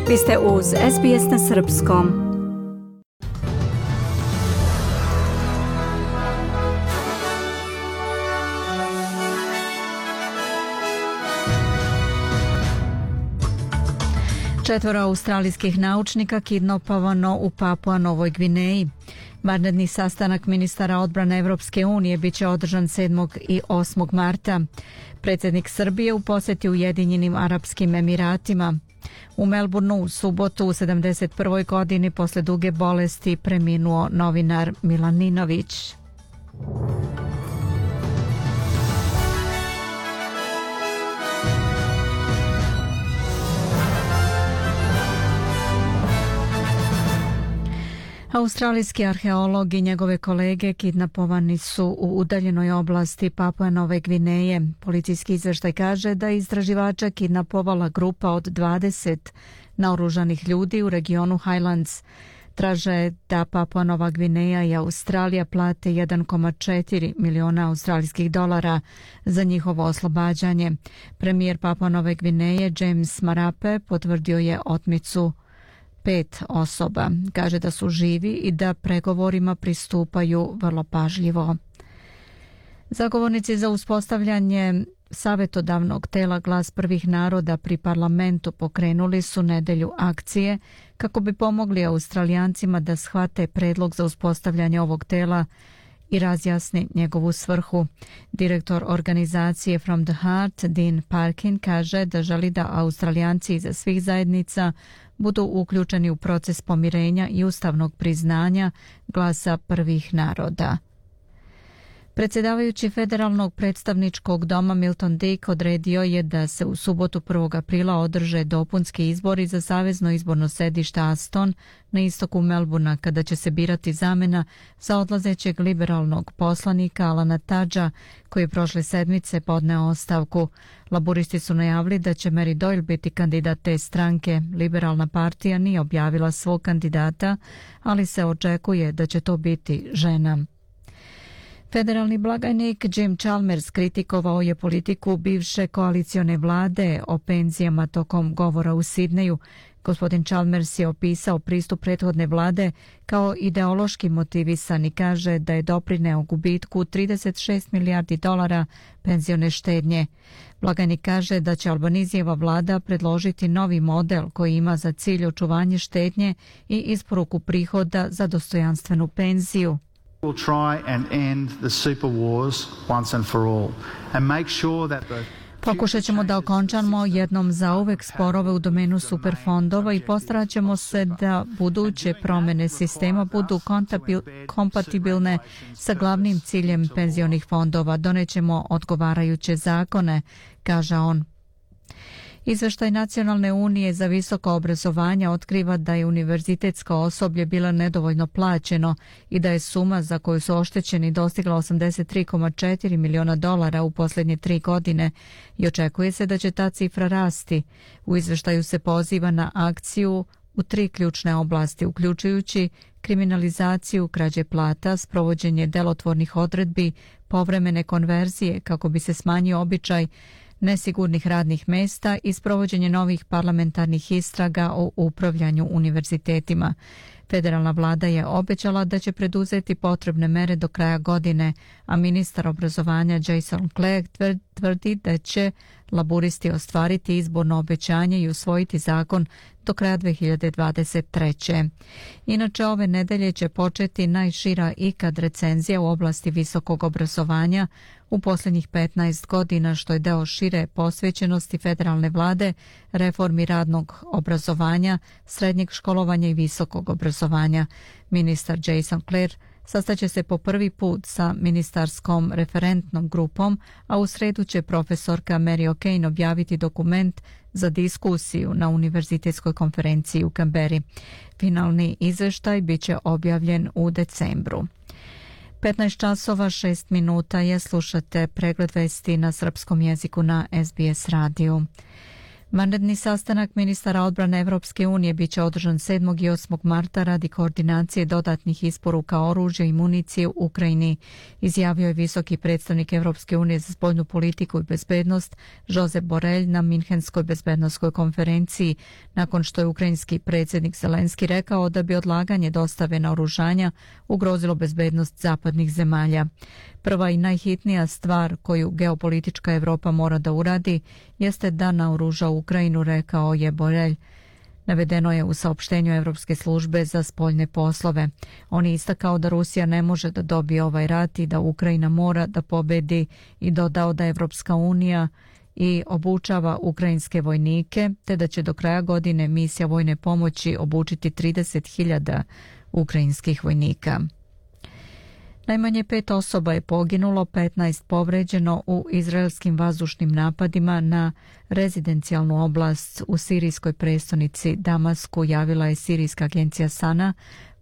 Vi ste uz SBS na srpskom. Četvoro australijskih naučnika kidnapovano u Papua Novoj Gvineji. Vanredni sastanak ministara odbrane Evropske unije biće održan 7. i 8. marta. Predsjednik Srbije u posjeti Ujedinjenim Arapskim Emiratima. U Melbourneu u subotu u 71. godini posle duge bolesti preminuo novinar Milan Ninović. Australijski arheolog i njegove kolege kidnapovani su u udaljenoj oblasti Papua Nove Gvineje. Policijski izveštaj kaže da je istraživača kidnapovala grupa od 20 naoružanih ljudi u regionu Highlands. Traže da Papua Nova Gvineja i Australija plate 1,4 miliona australijskih dolara za njihovo oslobađanje. Premijer Papua Nove Gvineje James Marape potvrdio je otmicu 5 osoba. Kaže da su živi i da pregovorima pristupaju vrlo pažljivo. Zagovornici za uspostavljanje savjetodavnog tela Glas prvih naroda pri parlamentu pokrenuli su nedelju akcije kako bi pomogli Australijancima da shvate predlog za uspostavljanje ovog tela i razjasni njegovu svrhu. Direktor organizacije From the Heart, Dean Parkin, kaže da želi da Australijanci iza svih zajednica budu uključeni u proces pomirenja i ustavnog priznanja Glasa prvih naroda. Predsjedavajući Federalnog predstavničkog doma Milton Dick odredio je da se u subotu 1. aprila održe dopunski izbori za savezno izborno sedište Aston na istoku Melbourna, kada će se birati zamena za odlazećeg liberalnog poslanika Alana Tudgea, koji je prošle sedmice podneo ostavku. Laburisti su najavili da će Mary Doyle biti kandidat te stranke. Liberalna partija nije objavila svog kandidata, ali se očekuje da će to biti žena. Federalni blagajnik Jim Chalmers kritikovao je politiku bivše koalicione vlade o penzijama tokom govora u Sidneju. Gospodin Chalmers je opisao pristup prethodne vlade kao ideološki motivisan i kaže da je doprineo gubitku 36 milijardi dolara penzione štednje. Blagajnik kaže da će Albanizijeva vlada predložiti novi model koji ima za cilj očuvanje štednje i isporuku prihoda za dostojanstvenu penziju. We'll try and end the super wars once and for all and make sure that the Pokušat ćemo da okončamo jednom zauvek sporove u domenu superfondova i postarat ćemo se da buduće promjene sistema budu kompatibilne sa glavnim ciljem penzionih fondova. Donećemo odgovarajuće zakone, kaže on. Izveštaj Nacionalne unije za visoko obrazovanje otkriva da je univerzitetsko osoblje bilo nedovoljno plaćeno i da je suma za koju su oštećeni dostigla 83,4 miliona dolara u posljednje 3 godine i očekuje se da će ta cifra rasti. U izveštaju se poziva na akciju u 3 ključne oblasti, uključujući kriminalizaciju krađe plata, sprovođenje delotvornih odredbi, povremene konverzije kako bi se smanjio običaj nesigurnih radnih mesta i sprovođenje novih parlamentarnih istraga o upravljanju univerzitetima. Federalna vlada je obećala da će preduzeti potrebne mere do kraja godine, a ministar obrazovanja Jason Clegg tvrdi da će laburisti ostvariti izborno obećanje i usvojiti zakon do kraja 2023. Inače, ove nedelje će početi najšira ikad recenzija u oblasti visokog obrazovanja u posljednjih 15 godina, što je deo šire posvećenosti federalne vlade reformi radnog obrazovanja, srednjeg školovanja i visokog obrazovanja. Ministar Jason Clegg sastaće se po prvi put sa ministarskom referentnom grupom, a u sredu će profesorka Mary O'Kane objaviti dokument za diskusiju na univerzitetskoj konferenciji u Canberri. Finalni izveštaj biće objavljen u decembru. 15 časova 6 minuta je, slušate pregled vesti na srpskom jeziku na SBS radiju. Vanredni sastanak ministara odbrane Evropske unije biće održan 7. i 8. marta radi koordinacije dodatnih isporuka oružja i municije u Ukrajini, izjavio je visoki predstavnik Evropske unije za spoljnu politiku i bezbednost Josep Borrell na Minhenskoj bezbednosnoj konferenciji, nakon što je ukrajinski predsjednik Zelenski rekao da bi odlaganje dostave naoružanja ugrozilo bezbednost zapadnih zemalja. Prva i najhitnija stvar koju geopolitička Evropa mora da uradi jeste da naoruža Ukrajinu, rekao je Borrell. Navedeno je u saopštenju Evropske službe za spoljne poslove. On je istakao da Rusija ne može da dobije ovaj rat i da Ukrajina mora da pobedi i dodao da Evropska unija i obučava ukrajinske vojnike, te da će do kraja godine misija vojne pomoći obučiti 30.000 ukrajinskih vojnika. Najmanje 5 osoba je poginulo, 15 povređeno u izraelskim vazdušnim napadima na rezidencijalnu oblast u sirijskoj prestonici Damasku, javila je sirijska agencija Sana,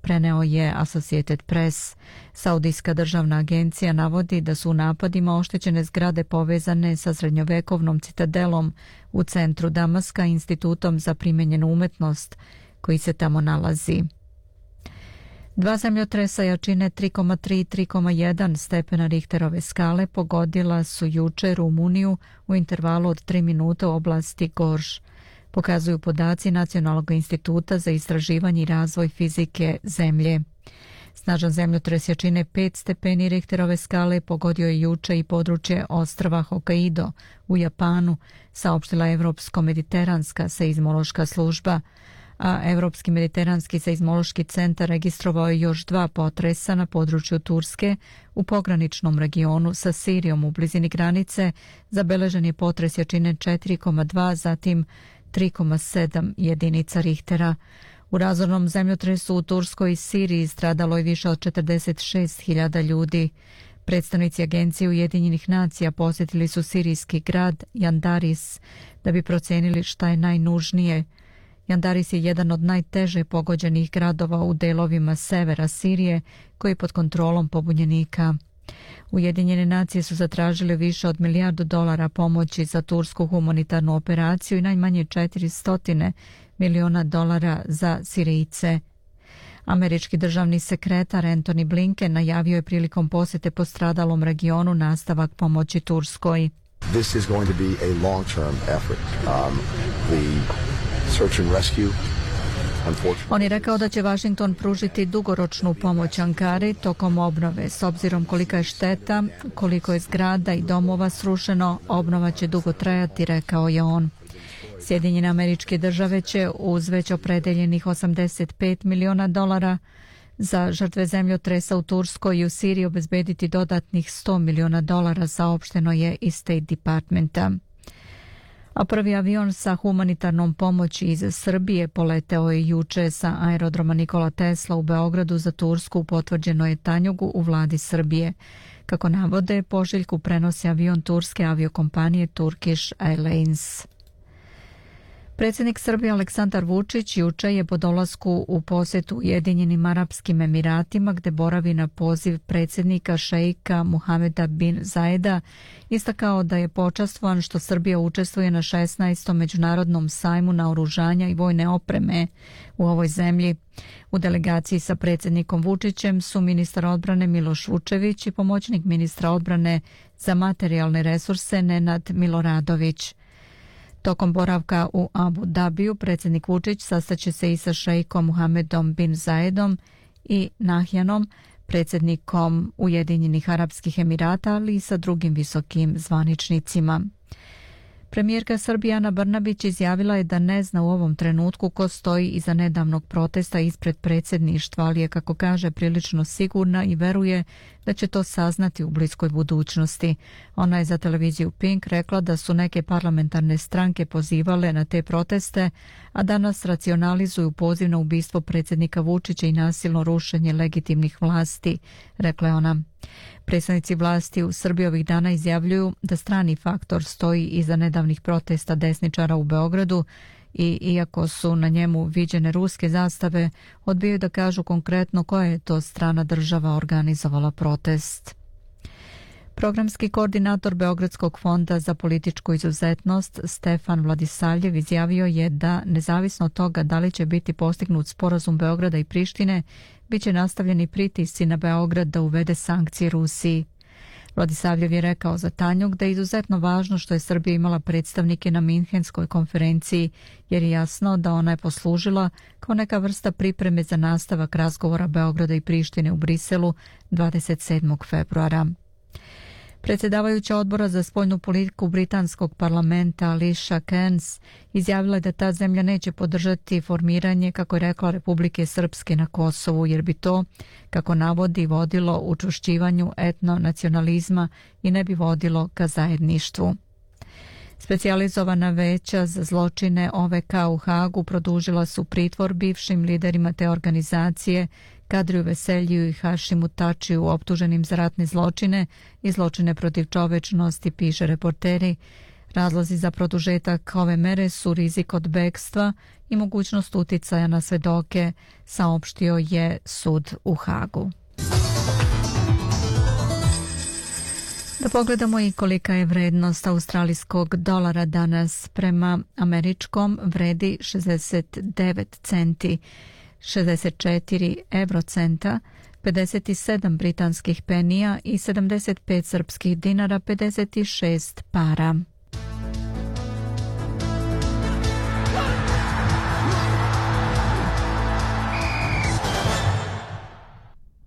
preneo je Associated Press. Saudijska državna agencija navodi da su u napadima oštećene zgrade povezane sa srednjovekovnom citadelom u centru Damaska i institutom za primenjenu umetnost koji se tamo nalazi. 2 zemljotresa jačine 3,3 i 3,1 stepena Richterove skale pogodila su juče Rumuniju u intervalu od 3 minuta u oblasti Gorž, pokazuju podaci Nacionalnog instituta za istraživanje i razvoj fizike zemlje. Snažan zemljotres jačine 5 stepeni Richterove skale pogodio je juče i područje ostrva Hokkaido u Japanu, saopštila Evropsko-mediteranska seizmološka služba, a Evropski mediteranski seizmološki centar registrovao je još 2 potresa na području Turske u pograničnom regionu sa Sirijom u blizini granice. Zabeležen je potres jačine 4,2, zatim 3,7 jedinica Richtera. U razornom zemljotresu u Turskoj i Siriji stradalo je više od 46.000 ljudi. Predstavnici Agencije Ujedinjenih nacija posjetili su sirijski grad Jandaris da bi procenili šta je najnužnije. Jandaris je jedan od najteže pogođenih gradova u delovima severa Sirije koji je pod kontrolom pobunjenika. Ujedinjene nacije su zatražile više od $1 milijardu pomoći za tursku humanitarnu operaciju i najmanje $400 miliona za Sirijce. Američki državni sekretar Antony Blinken najavio je prilikom posjete postradalom regionu nastavak pomoći Turskoj. This is going to be a long-term effort. Search and rescue. On je rekao da će Washington pružiti dugoročnu pomoć Ankari tokom obnove. S obzirom kolika je šteta, koliko je zgrada i domova srušeno, obnova će dugo trajati, rekao je on. Sjedinjene Američke Države će uz već opredeljenih $85 miliona za žrtve zemljotresa u Turskoj i u Siriji obezbediti dodatnih $100 miliona, saopšteno je iz State Departmenta. A prvi avion sa humanitarnom pomoći iz Srbije poleteo je juče sa aerodroma Nikola Tesla u Beogradu za Tursku, potvrđeno je Tanjugu u vladi Srbije. Kako navode, pošiljku prenosi avion turske aviokompanije Turkish Airlines. Predsjednik Srbije Aleksandar Vučić juče je po dolasku u posjetu Ujedinjenim Arapskim Emiratima, gde boravi na poziv predsjednika šeika Muhameda bin Zajeda, istakao da je počastvovan što Srbija učestvuje na 16. međunarodnom sajmu naoružanja i vojne opreme u ovoj zemlji. U delegaciji sa predsjednikom Vučićem su ministar odbrane Miloš Vučević i pomoćnik ministra odbrane za materijalne resurse Nenad Miloradović. Tokom boravka u Abu Dabiju predsjednik Vučić sastaće se i sa šeikom Muhamedom bin Zayedom i Nahjanom, predsjednikom Ujedinjenih Arapskih Emirata, ali i sa drugim visokim zvaničnicima. Premijerka Srbije Ana Brnabić izjavila je da ne zna u ovom trenutku ko stoji iza nedavnog protesta ispred predsjedništva, ali je, kako kaže, prilično sigurna i veruje da će to saznati u bliskoj budućnosti. Ona je za televiziju Pink rekla da su neke parlamentarne stranke pozivale na te proteste, a danas racionalizuju poziv na ubistvo predsjednika Vučića i nasilno rušenje legitimnih vlasti, rekla je ona. Predstavnici vlasti u Srbiji ovih dana izjavljuju da strani faktor stoji iza nedavnih protesta desničara u Beogradu i iako su na njemu viđene ruske zastave, odbijaju da kažu konkretno koja je to strana država organizovala protest. Programski koordinator Beogradskog fonda za političku izuzetnost Stefan Vladisavljev izjavio je da, nezavisno od toga da li će biti postignut sporazum Beograda i Prištine, bit će nastavljeni pritisci na Beograd da uvede sankcije Rusiji. Vladisavljev je rekao za Tanjug da je izuzetno važno što je Srbija imala predstavnike na Minhenskoj konferenciji, jer je jasno da ona je poslužila kao neka vrsta pripreme za nastavak razgovora Beograda i Prištine u Briselu 27. februara. Predsjedavajuća odbora za spoljnu politiku britanskog parlamenta Alicia Kearns izjavila je da ta zemlja neće podržati formiranje, kako je rekla, Republike Srpske na Kosovu, jer bi to, kako navodi, vodilo učvršćivanju etnonacionalizma i ne bi vodilo ka zajedništvu. Specijalizovana veća za zločine OVK u Hagu produžila su pritvor bivšim liderima te organizacije Kadriju Veseljiju i Hašimu Tačiju, optuženim za ratne zločine i zločine protiv čovečnosti, piše Reporteri. Razlozi za produžetak ove mere su rizik od bekstva i mogućnost uticaja na svedoke, saopštio je sud u Hagu. Da pogledamo i kolika je vrednost australijskog dolara danas. Prema američkom vredi 69 centi, 64 eurocenta, 57 britanskih penija i 75 srpskih dinara, 56 para.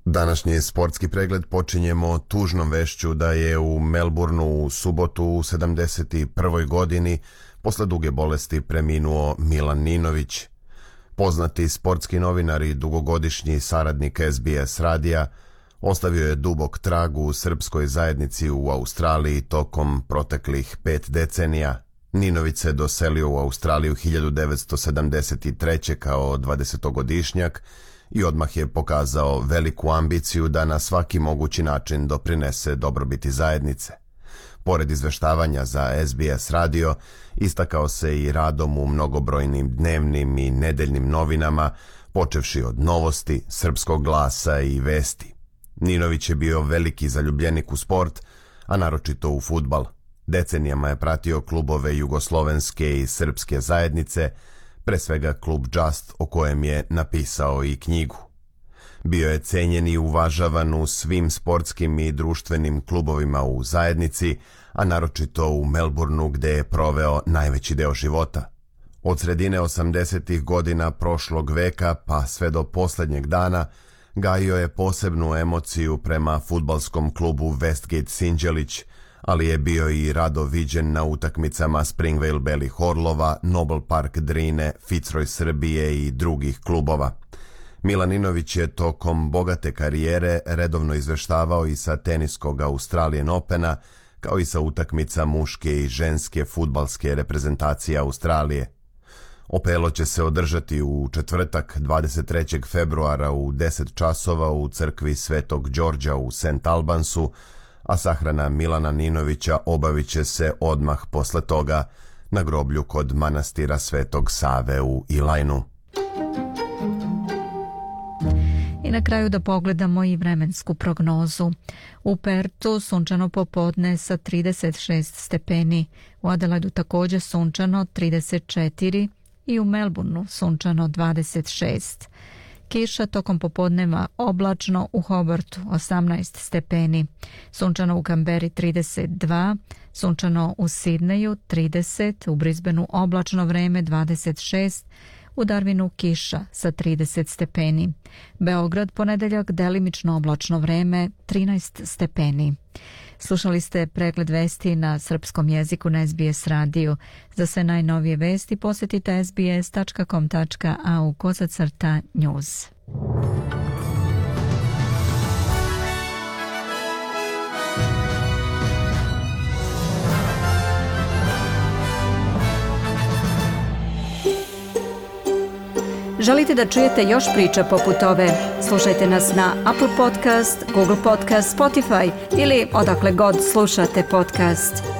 Današnji sportski pregled počinjemo tužnom vešću da je u Melbourneu u subotu u 71. godini posle duge bolesti preminuo Milan Ninović. Poznati sportski novinar i dugogodišnji saradnik SBS radija ostavio je dubok trag u srpskoj zajednici u Australiji tokom proteklih 5 decenija. Ninović se doselio u Australiju 1973. kao 20-godišnjak i odmah je pokazao veliku ambiciju da na svaki mogući način doprinese dobrobiti zajednice. Pored izveštavanja za SBS radio, istakao se i radom u mnogobrojnim dnevnim i nedeljnim novinama, počevši od Novosti, Srpskog glasa i Vesti. Ninović je bio veliki zaljubljenik u sport, a naročito u fudbal. Decenijama je pratio klubove jugoslovenske i srpske zajednice, pre svega klub Just, o kojem je napisao i knjigu. Bio je cenjen i uvažavan u svim sportskim i društvenim klubovima u zajednici, a naročito u Melbourneu gde je proveo najveći deo života. Od sredine 80. godina prošlog veka pa sve do posljednjeg dana gajio je posebnu emociju prema fudbalskom klubu Westgate Sinđelić, ali je bio i rado viđen na utakmicama Springvale Belih Orlova, Noble Park Drine, Fitzroy Srbije i drugih klubova. Milan Ninović je tokom bogate karijere redovno izveštavao i sa teniskog Australian Opena, kao i sa utakmica muške i ženske fudbalske reprezentacije Australije. Opelo će se održati u četvrtak 23. februara u 10 časova u crkvi Svetog Đorđa u St. Albansu, a sahrana Milana Ninovića obavit će se odmah posle toga na groblju kod manastira Svetog Save u Ilajnu. I na kraju da pogledamo i vremensku prognozu. U Pertu sunčano popodne sa 36 stepeni, u Adelaidu također sunčano 34 i u Melbourneu sunčano 26. Kiša tokom popodneva, oblačno u Hobartu 18 stepeni, sunčano u Kamberi 32, sunčano u Sidneju 30, u Brisbaneu oblačno vreme 26, u Darwinu kiša sa 30 stepeni. Beograd ponedeljak delimično oblačno vreme 13 stepeni. Slušali ste pregled vesti na srpskom jeziku na SBS radiju. Za sve najnovije vesti posjetite sbs.com.au/news. Želite da čujete još priča poput ove? Slušajte nas na Apple Podcast, Google Podcast, Spotify ili odakle god slušate podcast.